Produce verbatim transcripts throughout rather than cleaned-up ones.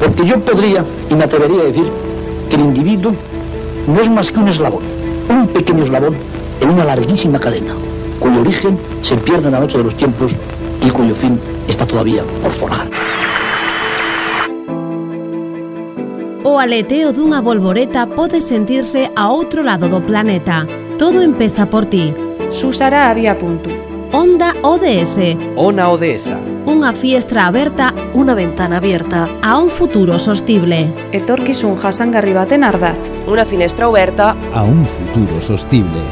Porque yo podría, y me atrevería a decir, que el individuo no es más que un eslabón, un pequeño eslabón en una larguísima cadena, cuyo origen se pierde en la noche de los tiempos y cuyo fin está todavía por forjar. O aleteo dunha bolboreta pode sentirse a outro lado do planeta. Todo empeza por ti. Susara había punto. Onda O D S. Ona Odesa. Unha fiestra aberta, unha ventana abierta a un futuro sostible. Etorkizun jasangarri baten ardatz. Unha finestra aberta a un futuro sostible.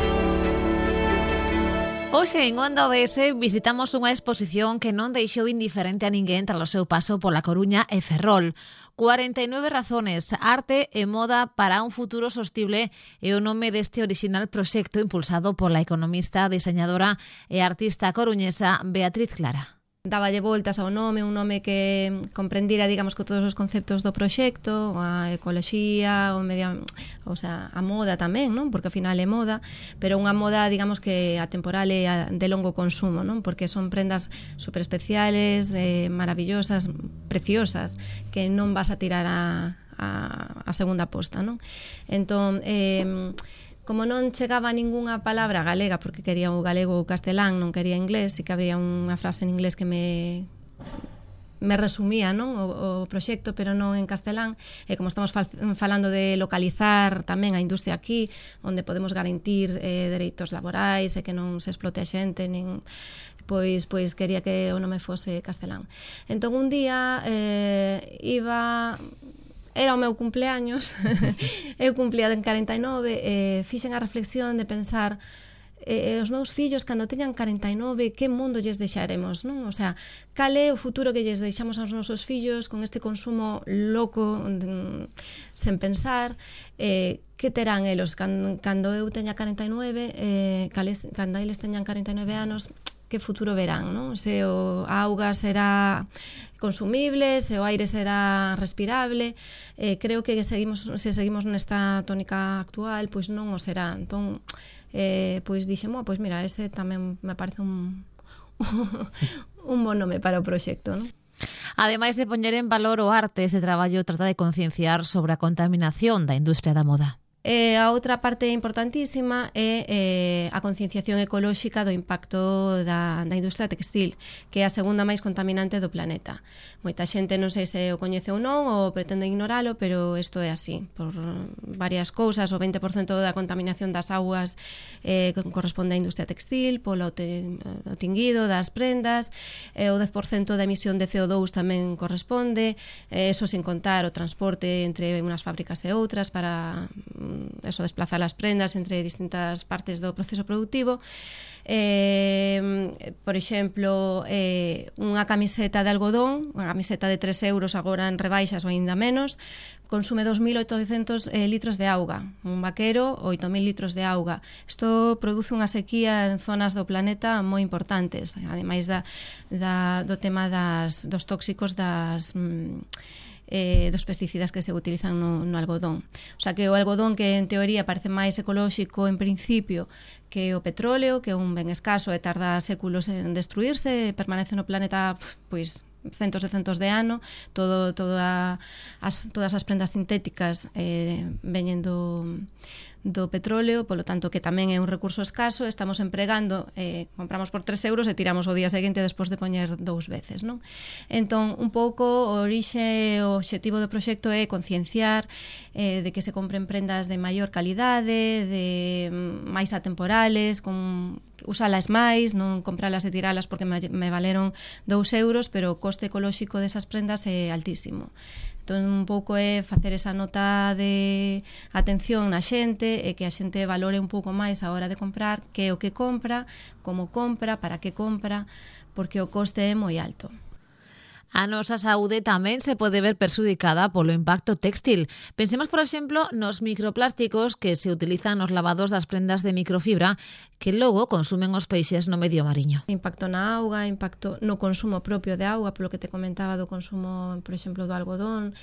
Hoxe en Onda O D S visitamos unha exposición que non deixou indiferente a ninguén tras o seu paso pola Coruña e Ferrol. cuarenta y nueve razones, arte e moda para un futuro sostible é o nome deste orixinal proxecto impulsado pola economista, diseñadora e artista coruñesa Beatriz Clara. Dáballe voltas ao nome, un nome que comprendira, digamos, que todos os conceptos do proxecto, a ecoloxía, o medio, o sea, a moda tamén, non? Porque ao final é moda, pero unha moda, digamos, que atemporal e de longo consumo, non? Porque son prendas super especiales, eh, maravillosas, preciosas, que non vas a tirar a, a, a segunda posta, non? Entón, eh, como non chegaba ningunha palabra galega, porque quería o galego ou castelán, non quería inglés, e que había unha frase en inglés que me me resumía, non, o, o proxecto, pero non en castelán, e como estamos fal, falando de localizar tamén a industria aquí, onde podemos garantir eh, dereitos laborais e que non se explote a xente, nin pois pois quería que o nome fose castelán. Entón un día eh, iba... Era o meu cumpleaños, eu cumplía en cuarenta y nove, e fixen a reflexión de pensar eh, os meus fillos, cando teñan cuarenta y nove, que mundo lles deixaremos, non? O sea, cal é o futuro que lles deixamos aos nosos fillos con este consumo loco, de, sen pensar, eh, que terán elos cando, cando eu teña cuarenta y nueve, eh, cales, cando eles teñan cuarenta y nueve anos, que futuro verán, non? Se o a auga será consumible, se o aire será respirable, eh, creo que seguimos, se seguimos nesta tónica actual, pois non o será. Entón, eh, pois dixemo, pois mira, ese tamén me parece un un bon nome para o proxecto, non? Ademais de poñer en valor o arte, este traballo trata de concienciar sobre a contaminación da industria da moda. E a outra parte importantísima é eh, a concienciación ecolóxica do impacto da, da industria textil, que é a segunda máis contaminante do planeta. Moita xente non sei se o coñece ou non, ou pretende ignoralo, pero isto é así, por varias cousas. O veinte por cento da contaminación das augas eh, corresponde á industria textil, polo te, o tinguido das prendas, eh, o dez por cento da emisión de C O dous tamén corresponde, eh, eso sin contar o transporte entre unhas fábricas e outras para eso, desplazar as prendas entre distintas partes do proceso productivo. Eh, por exemplo, eh, unha camiseta de algodón, unha camiseta de tres euros agora en rebaixas ou ainda menos, consume dos mil oitocentos eh, litros de auga. Un vaquero, oito mil litros de auga. Isto produce unha sequía en zonas do planeta moi importantes, ademais da, da, do tema das, dos tóxicos das... Mm, Eh, dos pesticidas que se utilizan no, no algodón. O sea, que o algodón, que en teoría parece máis ecolóxico en principio que o petróleo, que é un ben escaso e tarda séculos en destruirse, permanece no planeta pois centos e centos de ano, todo, toda as, todas as prendas sintéticas eh, veñen do, do petróleo, polo tanto que tamén é un recurso escaso, estamos empregando, eh, compramos por tres euros e tiramos o día seguinte despois de poñer dous veces, non? Entón, un pouco o orixe, o obxectivo do proxecto é concienciar eh, de que se compren prendas de maior calidade, de máis atemporales, con usalas máis, non compralas e tiralas porque me, me valeron dous euros, pero o coste ecolóxico desas prendas é altísimo. Entón, un pouco é facer esa nota de atención na xente e que a xente valore un pouco máis a hora de comprar que é o que compra, como compra, para que compra, porque o coste é moi alto. A nosa saúde tamén se pode ver perxudicada polo impacto téxtil. Pensemos, por exemplo, nos microplásticos que se utilizan nos lavados das prendas de microfibra que logo consumen os peixes no medio mariño. Impacto na auga, impacto no consumo propio de auga, polo que te comentaba do consumo, por exemplo, do algodón,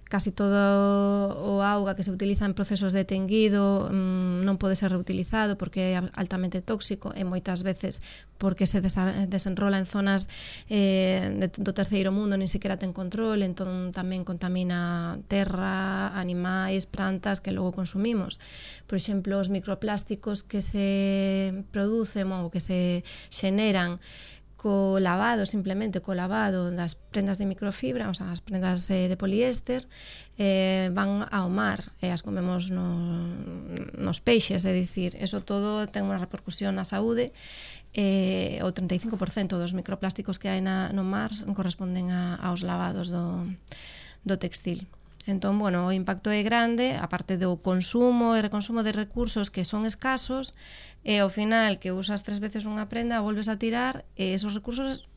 casi todo o auga que se utiliza en procesos de tenguido mmm, non pode ser reutilizado porque é altamente tóxico e moitas veces porque se desa- desenrola en zonas eh, de, do terceiro mundo nin siquiera ten control, entón tamén contamina terra, animais, plantas que logo consumimos. Por exemplo, os microplásticos que se producen ou que se xeneran co lavado, simplemente co lavado das prendas de microfibra, o sea, as prendas eh, de poliéster, eh, van ao mar e as comemos no, nos peixes, é dicir, eso todo ten unha repercusión na saúde. Eh, o treinta e cinco por cento dos microplásticos que hai na, no mar corresponden a, aos lavados do, do textil. Entón, bueno, o impacto é grande, aparte do consumo e reconsumo de recursos que son escasos, e ao final que usas tres veces unha prenda, volves a tirar, e esos recursos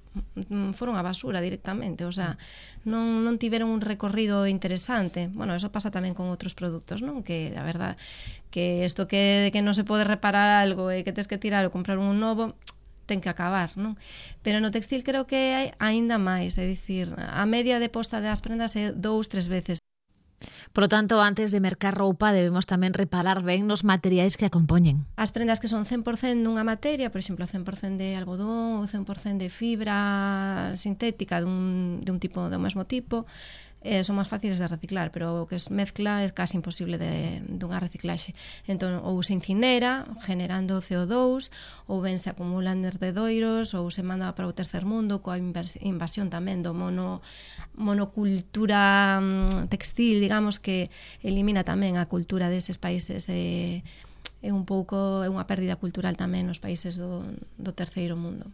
foron a basura directamente, o sea, non, non tiveron un recorrido interesante. Bueno, eso pasa tamén con outros produtos, non? Que, a verdad, que isto que, que non se pode reparar algo e que tes que tirar ou comprar un novo, ten que acabar, non? Pero no textil creo que hai aínda máis, é dicir, a media de posta das prendas é dous, tres veces. Por lo tanto, antes de mercar roupa, debemos tamén reparar ben nos materiais que a compoñen. As prendas que son cen por cento dunha materia, por exemplo, cen por cento de algodón ou cen por cento de fibra sintética dun, de un tipo do mesmo tipo, eh, son máis fáciles de reciclar, pero o que es mezcla é casi imposible de, de unha reciclaxe. Entón, ou se incinera, generando C O dos, ou ben se acumulan derredoiros, ou se manda para o tercer mundo, coa invasión tamén do mono, monocultura textil, digamos, que elimina tamén a cultura deses países. Eh, é un pouco, é unha pérdida cultural tamén nos países do, do terceiro mundo.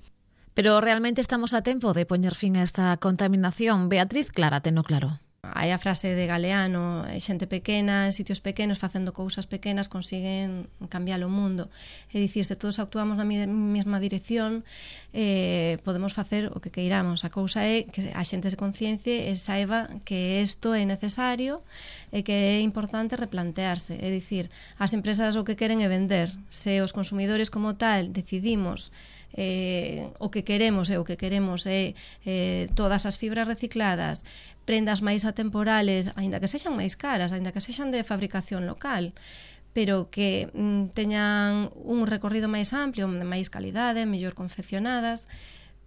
Pero realmente estamos a tempo de poñer fin a esta contaminación? Beatriz Clara, teno claro. Hai a frase de Galeano, xente pequena, en sitios pequenos, facendo cousas pequenas, consiguen cambiar o mundo. É dicir, se todos actuamos na mesma dirección, eh, podemos facer o que queiramos. A cousa é que a xente se conciencie e saiba que isto é necesario e que é importante replantearse. É dicir, as empresas o que queren é vender. Se os consumidores como tal decidimos Eh, o que queremos e o que queremos é eh, todas as fibras recicladas, prendas máis atemporales, aínda que sexan máis caras, aínda que sexan de fabricación local, pero que mm, teñan un recorrido máis amplio, de máis calidade, mellor confeccionadas,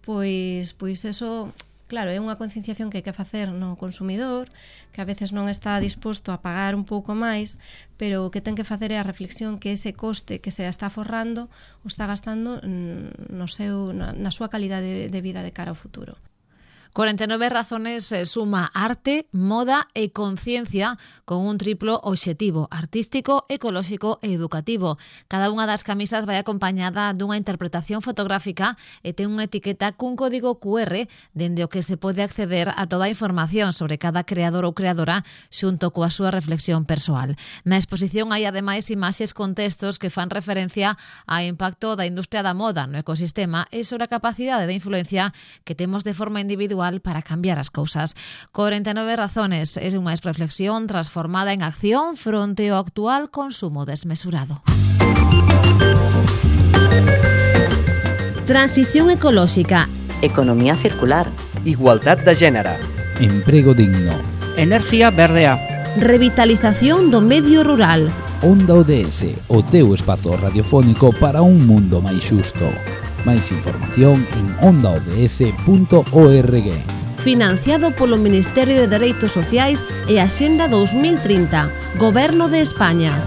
pois, pois eso, claro, é unha concienciación que hai que facer no consumidor, que a veces non está disposto a pagar un pouco máis, pero o que ten que facer é a reflexión que ese coste que se está forrando o está gastando no seu, na, na súa calidade de vida de cara ao futuro. cuarenta y nueve razones suma arte, moda e conciencia con un triplo obxectivo artístico, ecolóxico e educativo. Cada unha das camisas vai acompañada dunha interpretación fotográfica e ten unha etiqueta cun código cu erre dende o que se pode acceder a toda a información sobre cada creador ou creadora xunto coa súa reflexión persoal. Na exposición hai ademais imaxes con textos que fan referencia ao impacto da industria da moda no ecosistema e sobre a capacidade de influencia que temos de forma individual para cambiar as cousas. cuarenta y nueve razones é unha reflexión transformada en acción fronte ao actual consumo desmesurado. Transición ecolóxica, economía circular, igualdad de género, emprego digno, energía verdea, revitalización do medio rural. Onda O D S, o teu espazo radiofónico para un mundo máis xusto. Máis información en onda o d s punto org. Financiado polo Ministerio de Dereitos Sociais e Axenda dos mil trinta, Goberno de España.